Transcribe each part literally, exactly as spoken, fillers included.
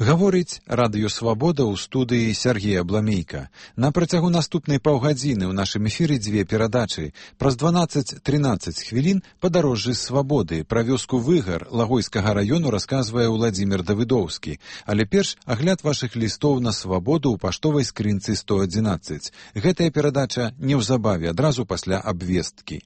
Гаворыць радыё «Свабода» ў студыі Сергея Абламейка. На працягу наступнай паўгадзіны ў нашым эфіры дзве перадачы. Праз дванаццаць-трынаццаць хвілін «Падарожжы свабоды». Пра вёску Выгар Лагойскага раёну расказвае Уладзімір Давыдоўскі. Але перш агляд вашых лістоў на свабоду ў паштовай скрынцы сто адзінаццаць. Гэтая перадача неўзабаве, адразу пасля абвесткі.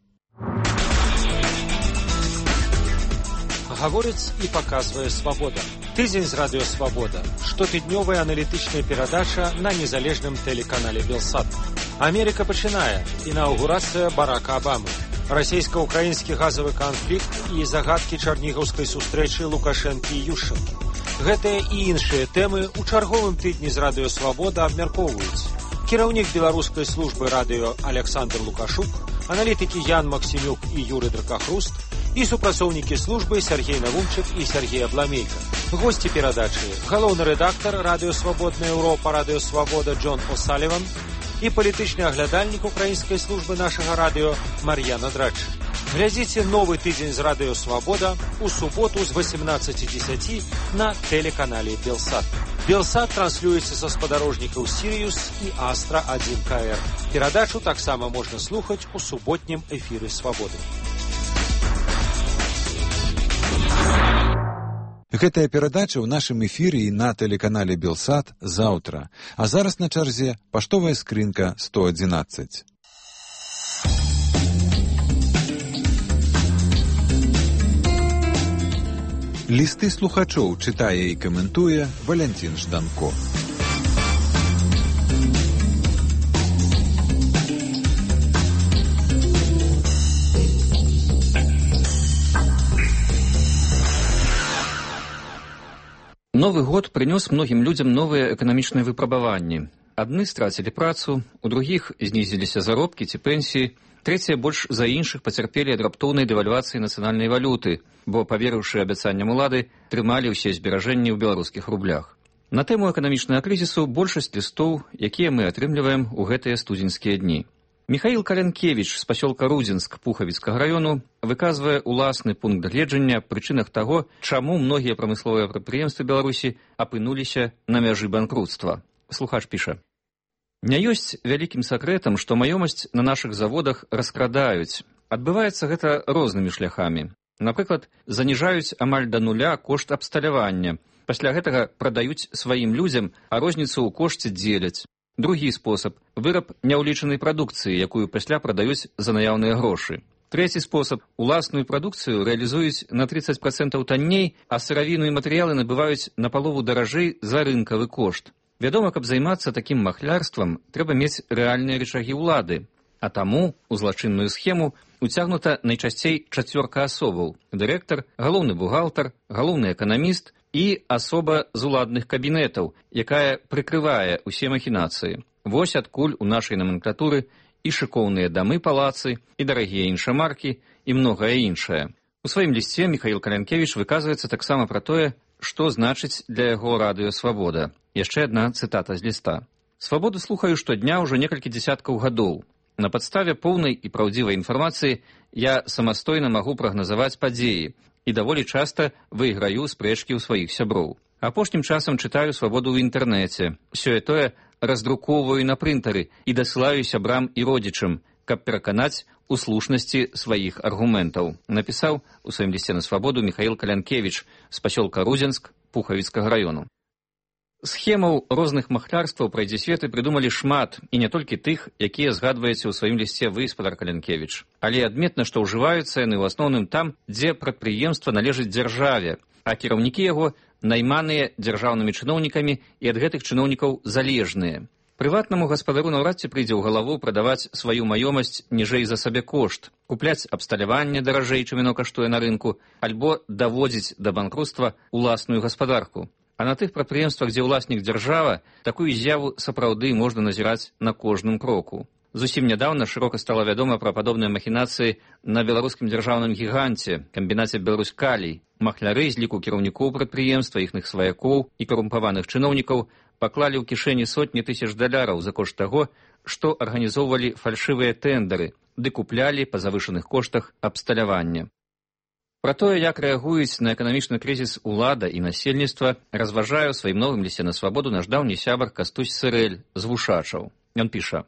Гаворыць і паказвае «Свабода». Тыдзень з радыё «Свабода». Штотыднёвая аналітычная перадача на незалежным тэлеканале «Белсат». Амерыка пачынае. Інаўгурацыя Барака Абамы. Расійска-ўкраінскі газавы канфлікт і загадкі чарнігаўскай сустрэчы Лукашэнкі і Ющэнка. Гэтыя і іншыя тэмы ў чарговым тыдні з радыё «Свабода» абмяркоўваюць. Кіраўнік беларускай службы радыё Александр Лукашук, аналітыкі Ян Максімюк і Юры Дракахруст, і супрацоўнікі службы Сергей Навумчык і Сергей Абламейка. Госці перадачы – галоўны рэдактар радыё «Свабодная Еўропа», радыё «Свабода» Джон О'Саліван і палітычны аглядальнік украінскай службы нашага радыё Мар'яна Драч. Глядзіце новы тыдзень з радыё «Свабода» у суботу з васемнаццаці дзесяці на тэлеканале «Белсат». «Белсат» транслюецца са спадарожнікаў «Сірыюс» і «Астра адзін ка эр». Перадачу таксама можна слухаць у суботнім эфіры «Свабоды». Гэтая перадача ў нашым эфіры і на тэлеканале «Белсат» заўтра. А зараз на чарзе паштовая скрынка сто адзінаццаць. Лісты слухачоў чытае і каментуе Валянцін Жданко. Новы год прынёс многім людзям новыя эканамічныя выпрабаванні. Адны страцілі працу, у другіх знізіліся заробкі ці пенсіі, трэція больш за іншых пацярпелі ад раптоўнай дэвальвацыі нацыянальнай валюты, бо, паверыўшы абяцанням улады, трымалі ўсе зберажэнні ў беларускіх рублях. На тэму эканамічнага крызісу большасць лістоў, якія мы атрымліваем у гэтыя студзеньскія дні. Михаил Калянкевич з пасёлка Рудзінск Пухавіцкага раёну выказвае уласны пункт гледжання прычынах таго, чаму многія прамысловыя прадпрыемствы Беларусі апынуліся на мяжы банкруцтва. Слухач піша: «Не ёсць вялікім сакрэтам, што маёмасць на нашых заводах раскрадаюць. Адбываецца гэта рознымі шляхамі. Напрыклад, заніжаюць амаль да нуля кошт абсталявання. Пасля гэтага прадаюць сваім людзям, а розніцу ў кошце дзеляць. Другі спосаб – выраб няўлічанай прадукцыі, якую пасля прадаюць за наяўныя грошы. Трэці спосаб – уласную прадукцыю рэалізуюць на трыццаць працэнтаў танней, а сыравіну і матэрыялы набываюць на палову даражэй за рынкавы кошт. Вядома, каб займацца такім махлярствам, трэба мець рэальныя рычагі ўлады. А таму у злачынную схему уцягнута найчасцей чацвёрка асобаў – дырэктар, галоўны бухгалтар, галоўны эканаміст і асоба з уладных кабінетаў, якая прыкрывае ўсе махінацыі. Вось адкуль у нашай номенклатуры і шыкоўныя дамы палацы, і дарагія іншамаркі, і многае іншае. У сваім лісце Михаил Калянкевич выказваецца таксама пра тое, што значыць для яго радыё «Свабода». Яшчэ адна цытата з ліста. «Свабоду слухаю штодня ўжо некалькі дзесяткаў гадоў. На падставе поўнай і праўдзівай інфармацыі я самастойна магу прагназаваць падзеі і даволі часта выйграю спрэчкі ў сваіх сяброў. Апошнім часам чытаю «Свабоду» ў інтэрнэце. Сёе-тое раздрукоўваю на прынтары і дасылаю сябрам і родзічам, каб пераканаць у слушнасці сваіх аргументаў», напісаў у сваім лісце на «Свабоду» Михаил Калянкевич з пасёлка Рудзінск Пухавіцкага раёну. Схемаў розных махлярстваў пра дзесветы прыдумалі шмат, і не толькі тых, якія згадваеце ў сваім лісце вы, спадар Калянкевич. Але адметна, што ўжываюцца яны ў асноўным там, дзе прадпрыемства належыць дзяржаве, а кіраўнікі яго найманыя дзяржаўнымі чыноўнікамі і ад гэтых чыноўнікаў залежныя. Прыватнаму гаспадару наўрад ці прыйдзе ў галаву прадаваць сваю маёмасць ніжэй за сабе кошт, купляць абсталяванне даражэй, чым яно каштуе на рынку, альбо даводзіць да банкруцтва уласную гаспадарку. А на тых прадпрыемствах, дзе ўласнік дзяржава, такую з'яву сапраўды можна назіраць на кожным кроку. Зусім нядаўна шырока стала вядома пра падобныя махінацыі на беларускім дзяржаўным гіганце, камбінаце «Беларусь-Калій». Махляры з ліку кіраўнікоў прадпрыемства, іхных сваякоў і карумпаваных чыноўнікаў паклалі ў кішэні сотні тысяч даляраў за кошт таго, што арганізоўвалі фальшывыя тэндары, ды куплялі па завышаных коштах абсталявання. Пра тое, як рэагуюць на эканамічны крызіс улада і насельніцтва, разважае ў сваім новым лісце на свабоду наш даўні сябар Кастусь Сырэль з Вушачаў. Ён піша: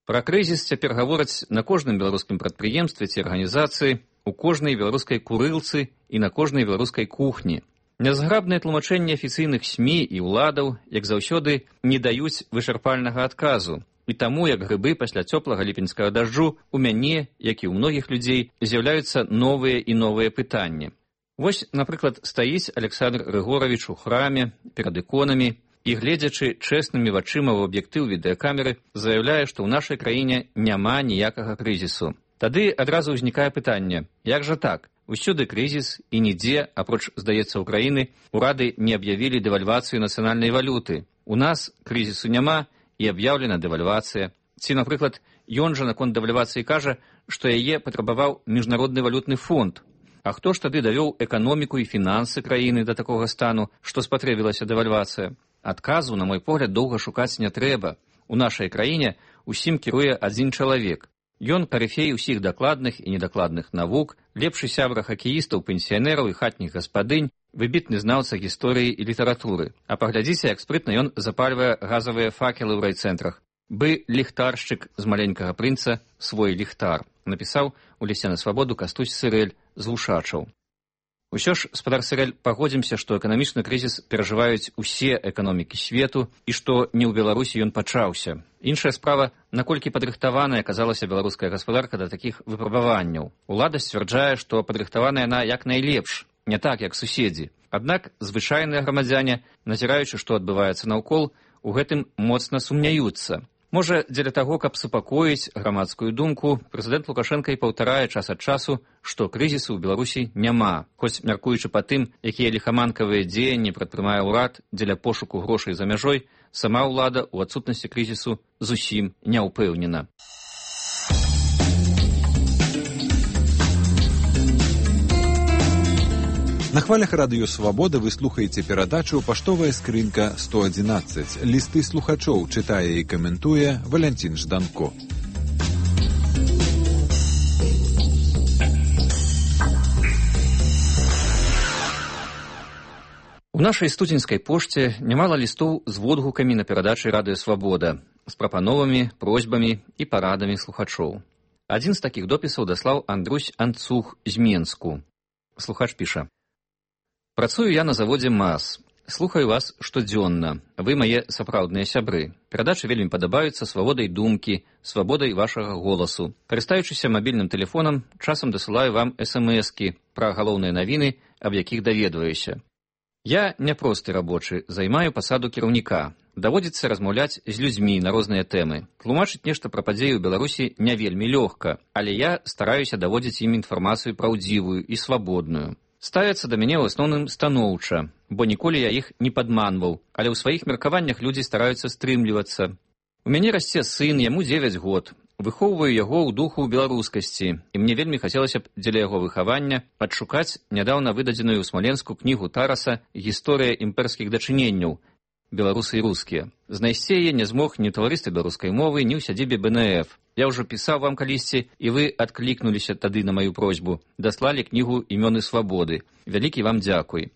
«Пра крызіс цяпер гавораць на кожным беларускім прадпрыемстве ці арганізацыі, у кожнай беларускай курылцы і на кожнай беларускай кухні. Нязграбныя тлумачэнні афіцыйных СМІ і ўладаў, як заўсёды, не даюць вычарпальнага адказу. І таму, як грыбы пасля цёплага ліпеньскага дажджу, у мяне, як і ў многіх людзей, з'яўляюцца новыя і новыя пытанні. Вось, напрыклад, стаіць Александр Рыгоравіч у храме перад іконамі і, гледзячы чэснымі вачыма ў аб'ектыў відэакамеры, заяўляе, што ў нашай краіне няма ніякага крызісу. Тады адразу ўзнікае пытанне: як жа так? Усюды крызіс, і нідзе, апроч, здаецца, Украіны, урады не аб'явілі дэвальвацыю нацыянальнай валюты. У нас крызісу няма, і аб'яўлена дэвальвацыя. Ці, напрыклад, ён жа наконт дэвальвацыі кажа, што яе патрабаваў міжнародны валютны фонд. А хто ж тады давёў эканоміку і фінансы краіны да такога стану, што спатрэбілася дэвальвацыя? Адказу, на мой погляд, доўга шукаць не трэба. У нашай краіне усім кіруе адзін чалавек. Ён карыфей усіх дакладных і недакладных навук, лепшы сябра хакеістаў, пенсіянераў і хатніх гаспадынь, выбітны знаўца гісторыі і літаратуры. А паглядзіце, як спрытна ён запальвае газавыя факелы ў райцэнтрах. Бы ліхтаршчык з маленькага прынца свой ліхтар, напісаў у лісце на свабоду Кастусь Сырэль з Вушачаў. Усё ж, спадар Сырэль, пагодзімся, што эканамічны крызіс перажываюць усе эканомікі свету і што не ў Беларусі ён пачаўся. Іншая справа, наколькі падрыхтаваная аказалася беларуская гаспадарка да такіх выпрабаванняў. Улада сцвярджае, што падрыхтаваная яна як найлепш, не так, як суседзі. Аднак звычайныя грамадзяне, назіраючы, што адбываецца наўкол, у гэтым моцна сумняюцца. Можа, дзеля таго, каб супакоіць грамадскую думку, прэзідэнт Лукашенка і паўтарае час ад часу, што крызісу ў Беларусі няма, хоць, мяркуючы па тым, якія ліхаманкавыя дзеянні прадпрымае ўрад дзеля пошуку грошай за мяжой, сама ўлада ў адсутнасці крызісу зусім не ўпэўнена. На хвалях радыё «Свабода» вы слухаеце перадачу «Паштовая скрынка сто адзінаццаць». Лісты слухачоў чытае і каментуе Валянцін Жданко. У нашай студзеньскай пошце нямала лістоў з водгукамі на перадачы радыё «Свабода», з прапановамі, просьбамі і парадамі слухачоў. Адзін з такіх допісаў даслаў Андрусь Анцух з Менску. Слухач піша: «Працую я на заводзе МАЗ. Слухаю вас штодзённа. Вы мае сапраўдныя сябры. Перадачы вельмі падабаюцца свабодай думкі, свабодай вашага голасу. Карыстаючыся мабільным тэлефонам, часам дасылаю вам эс-эм-эскі пра галоўныя навіны, аб якіх даведваюся. Я няпросты рабочы, займаю пасаду кіраўніка. Даводзіцца размаўляць з людзьмі на розныя тэмы. Тлумачыць нешта пра падзеі ў Беларусі не вельмі лёгка, але я стараюся даводзіць ім інфармацыю праўдзівую і свабодную. Ставяцца да мяне ў асноўным станоўча, бо ніколі я іх не падманваў, але ў сваіх меркаваннях людзі стараюцца стрымлівацца. У мяне расце сын, яму дзевяць год. Выхоўваю яго ў духу беларускасці, і мне вельмі хацелася б дзеля яго выхавання адшукаць нядаўна выдадзеную ў Смаленску кнігу Тараса «Гісторыя імперскіх дачыненняў. Беларусы і рускія». Знайсці яе не змог ні ў таварыстве беларускай мовы, ні ў сядзібе бэ эн эф. Я ўжо пісаў вам калісьці, і вы адклікнуліся тады на маю просьбу. Даслалі кнігу «Імёны свабоды». Вялікі вам дзякуй.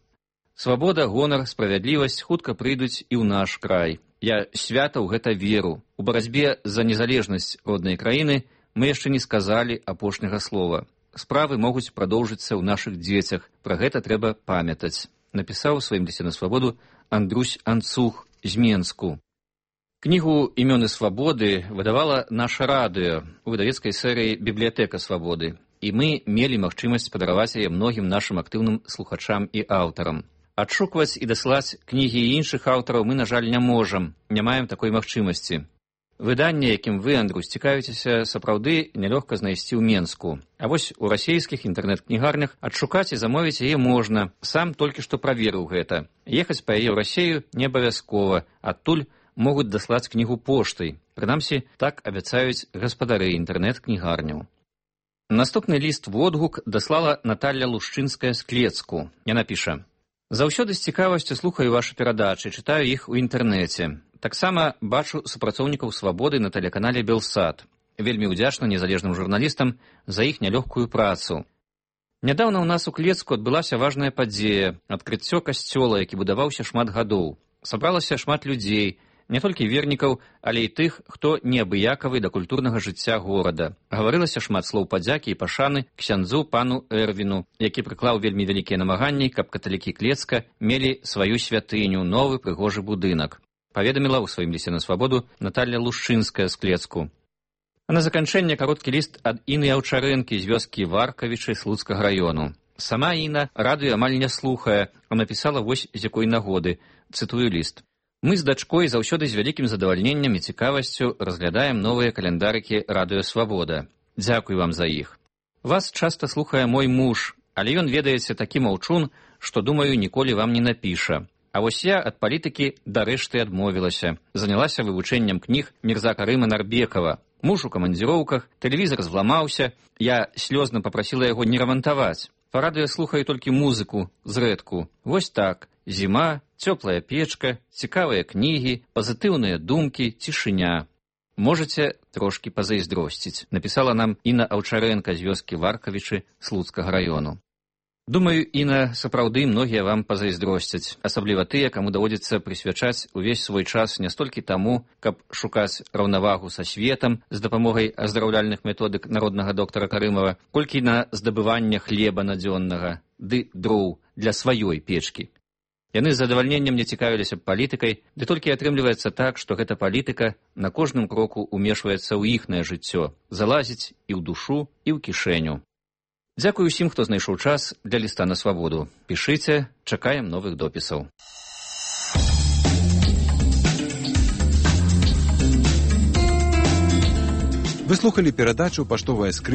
Свабода, гонар, справядлівасць хутка прыйдуць і ў наш край. Я свята ў гэта веру. У барацьбе за незалежнасць роднай краіны мы яшчэ не сказалі апошняга слова. Справы могуць прадоўжыцца ў нашых дзецях. Пра гэта трэба памятаць. Напісаў у сваім лісце на свабоду Андрусь Анцух з Менску. Кнігу «Імёны свабоды» выдавала наша радыё у выдавецкай серыі «Бібліятэка свабоды», і мы мелі магчымасць падараваць яе многім нашым актыўным слухачам і аўтарам. Адшукваць і дасылаць кнігі і іншых аўтараў мы, на жаль, не можам, не маем такой магчымасці. Выданне, якім вы, Андрусь, цікавіцеся, сапраўды нялёгка знайсці ў Менску. А вось у расійскіх інтэрнэт-кнігарнях адшукаць і замовіць яе можна. Сам толькі што праверыў гэта. Ехаць па яе ў Расею не абавязкова, адтуль могуць даслаць кнігу поштай. Прынамсі, так абяцаюць гаспадары інтэрнэт-кнігарняў. Наступны ліст-водгук даслала Наталля Лушчынская з Клецку. Яна піша: «Заўсёды з цікавасцю слухаю вашы перадачы, чытаю іх у інтэрнэце. Таксама бачу супрацоўнікаў свабоды на тэлеканале «Белсат». Вельмі ўдзячна незалежным журналістам за іх нялёгкую працу. Нядаўна ў нас у Клецку адбылася важная падзея – адкрыццё касцёла, які будаваўся шмат гадоў. Сабралася шмат людзей, не толькі вернікаў, але і тых, хто неабыякавы да культурнага жыцця горада. Гаварылася шмат слоў падзякі і пашаны ксяндзу пану Эрвіну, які прыклаў вельмі вялікія намаганні, каб каталікі Клецка мелі сваю святыню, новы прыгожы будынак. Паведаміла ў сваім лісце на свабоду Наталья Лушчынская з Клецку. А на заканчэнне кароткі ліст ад Іны Аўчарэнкі з вёскі Варкавічы Слуцкага раёну. Сама Іна радыё амаль не слухае, а напісала вось з якой нагоды. Цытую ліст. Мы з дачкой заўсёды з вялікім задавальненнем і цікавасцю разглядаем новыя каляндарыкі радыё Свабода. Дзякуй вам за іх. Вас часта слухае мой муж, але ён, ведаеце, такі маўчун, што, думаю, ніколі вам не напіша. А вось я ад палітыкі дарэшты адмовілася. Занялася вывучэннем кніг Мірза Карыма Нарбекава. Муж у камандзіроўках, тэлевізор зламаўся, я слёзна папрасіла яго не рамантаваць. Па радыё слухаю толькі музыку, зрэдку. Вось так. Зіма, цёплая печка, цікавыя кнігі, пазітыўныя думкі, цішыня. Можаце трошкі пазайздросціць, напісала нам Іна Аўчарэнка з вёскі Варкавічы Слуцкага раёну. Думаю, Іна, сапраўды многія вам пазайздросцяць, асабліва тыя, каму даводзіцца прысвячаць увесь свой час не столькі таму, каб шукаць раўнавагу са светам з дапамогай аздараўляльных методык народнага доктара Карымава, колькі на здабыванне хлеба надзённага, ды дроў для сваёй печкі. Яны з задавальненнем не цікавіліся палітыкай, ды толькі атрымліваецца так, што гэта палітыка на кожным кроку умешваецца ў іхнае жыццё, залазіць і ў душу, і ў кішэню. Дзякуй усім, хто знайшоў час для ліста на свабоду. Пішыце, чакаем новых допісаў. Вы слухали перадачу «Паштовая скрынка»